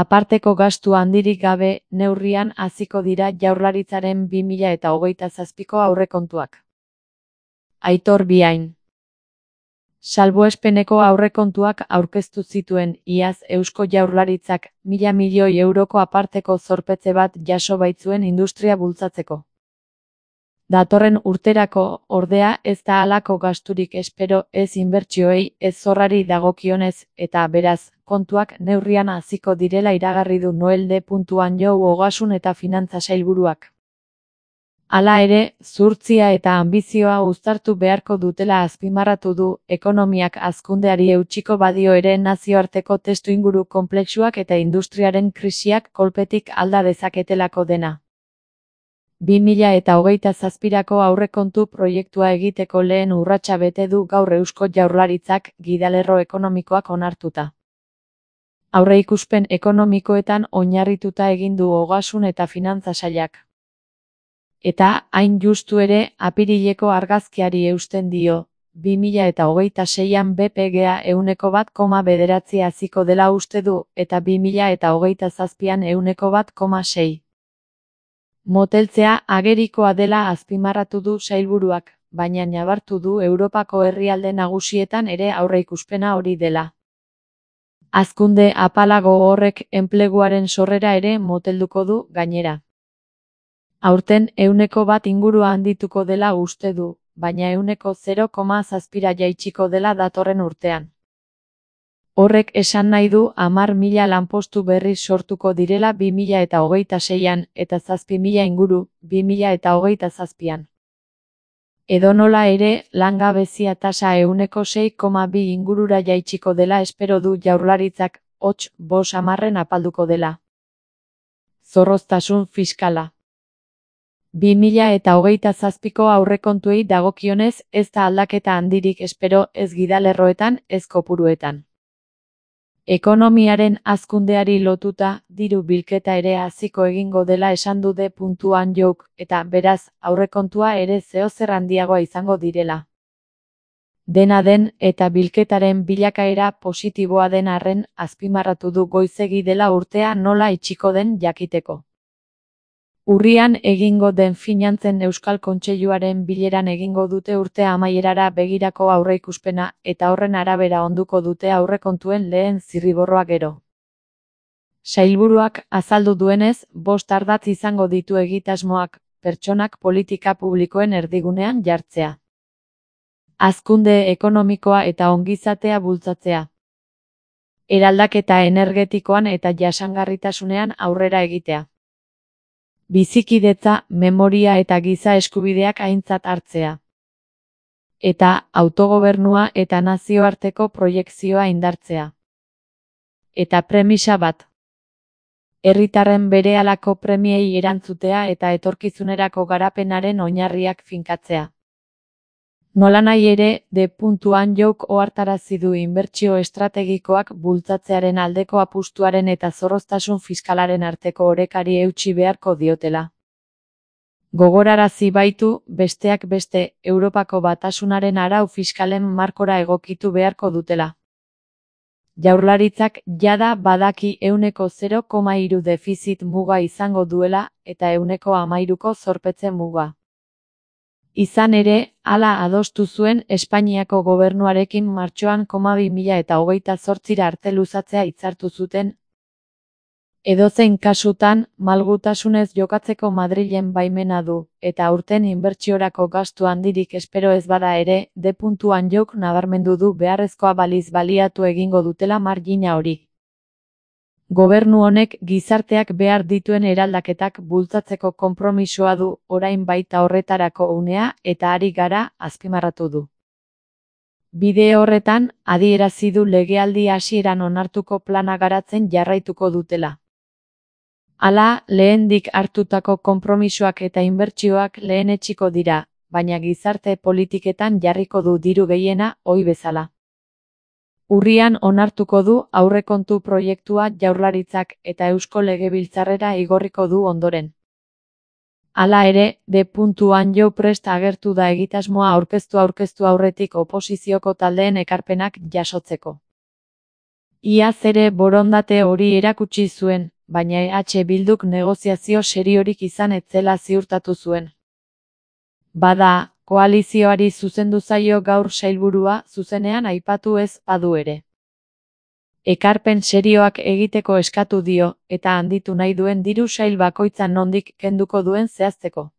Aparteko gastu handirik gabe neurrian hasiko dira Jaurlaritzaren 2027ko aurrekontuak. Aitor Biain. Salbuespeneko aurrekontuak aurkeztu zituen iaz Eusko Jaurlaritzak 1.000 milioi euroko aparteko zorpetze bat jaso baitzuen industria bultzatzeko. Datorren urterako, ordea, ez da halako gasturik espero ez inbertsioei ez zorrari dagokionez, eta beraz, kontuak neurrian hasiko direla iragarri du Noel D. Anjou Ogasun eta Finantza Sailburuak. Hala ere, zuhurtzia eta anbizioa uztartu beharko dutela azpimarratu du, ekonomiak hazkundeari eutsiko badio ere nazioarteko testuinguru konplexuak eta industriaren krisiak kolpetik alda dezaketelako dena. 2027ko aurrekontu proiektua egiteko lehen urratsa bete du gaur Eusko Jaurlaritzak gidalerro ekonomikoak onartuta. Aurreikuspen ekonomikoetan oinarrituta egin du Ogasun eta Finantza Sailak. Eta, hain justu ere, apirileko argazkiari eusten dio, 2026an BPGa 1,9 haziko dela uste du, eta 2027an 1,6. Moteltzea agerikoa dela azpimarratu du sailburuak, baina nabartu du Europako herrialde nagusietan ere aurreikuspena hori dela. Hazkunde apalago horrek enpleguaren sorrera ere motelduko du, gainera. Aurten 1% ingurua handituko dela uste du, baina 0,7 jaitsiko dela datorren urtean. Horrek esan nahi du 10.000 lanpostu berriz sortuko direla 2026an eta 7.000 inguru 2027an. Edonola ere, langabezia tasa 6,2 ingurura jaitsiko dela espero du Jaurlaritzak, hots, 50 apalduko dela. Zorroztasun fiskala. 2027ko aurrekontuei dagokionez ez da aldaketa handirik espero ez gidalerroetan ez kopuruetan. Ekonomiaren hazkundeari lotuta, diru bilketa ere haziko egingo dela esan du D. Anjouk, eta beraz, aurrekontua ere zeozer handiagoa izango direla. Dena den, eta bilketaren bilakaera positiboa den arren, azpimarratu du goizegi dela urtea nola itxiko den jakiteko. Urrian egingo den Finantzen Euskal Kontseiluaren bileran egingo dute urtea amaierara begirako aurreikuspena eta horren arabera onduko dute aurrekontuen lehen zirriborroa gero. Sailburuak azaldu duenez, 5 ardatz izango ditu egitasmoak, pertsonak politika publikoen erdigunean jartzea. Hazkunde ekonomikoa eta ongizatea bultzatzea. Eraldaketa energetikoan eta jasangarritasunean aurrera egitea. Bizikidetza, memoria eta giza eskubideak aintzat hartzea. Eta autogobernua eta nazioarteko proiekzioa indartzea. Eta premisa bat. Herritarren berehalako premiei erantzutea eta etorkizunerako garapenaren oinarriak finkatzea. Nolanahi ere, D. Anjouk ohartarazi du inbertsio estrategikoak bultzatzearen aldeko apustuaren eta zorroztasun fiskalaren arteko orekari eutsi beharko diotela. Gogorarazi baitu, besteak beste, Europako Batasunaren arau fiskalen markora egokitu beharko dutela. Jaurlaritzak jada badaki 0,3 defizit muga izango duela eta 13ko zorpetze muga. Izan ere, hala adostu zuen Espainiako gobernuarekin martxoan 2028 arte luzatzea hitzartu zuten. Edozein kasutan, malgutasunez jokatzeko Madrilen baimena du, eta aurten inbertsiorako gastu handirik espero ez bada ere, D. Anjouk nabarmendu du beharrezkoa baliz baliatu egingo dutela margina hori. Gobernu honek gizarteak behar dituen eraldaketak bultzatzeko konpromisoa du, orain baita horretarako unea eta ari gara, azpimarratu du. Bide horretan, adierazi du legealdi hasieran onartuko plana garatzen jarraituko dutela. Hala, lehendik hartutako konpromisoak eta inbertsioak lehenetsiko dira, baina gizarte politiketan jarriko du diru gehiena, ohi bezala. Urrian onartuko du aurrekontu proiektua Jaurlaritzak eta Eusko Legebiltzarrera igorriko du ondoren. Hala ere, D. Anjou prest agertu da egitasmoa aurkeztu aurretik oposizioko taldeen ekarpenak jasotzeko. Iaz ere borondate hori erakutsi zuen, baina Bilduk negoziazio seriorik izan ez zela ziurtatu zuen. Bada, koalizioari zuzendu zaio gaur sailburua zuzenean aipatu ez badu ere. Ekarpen serioak egiteko eskatu dio, eta handitu nahi duen diru sail bakoitzan nondik kenduko duen zehazteko.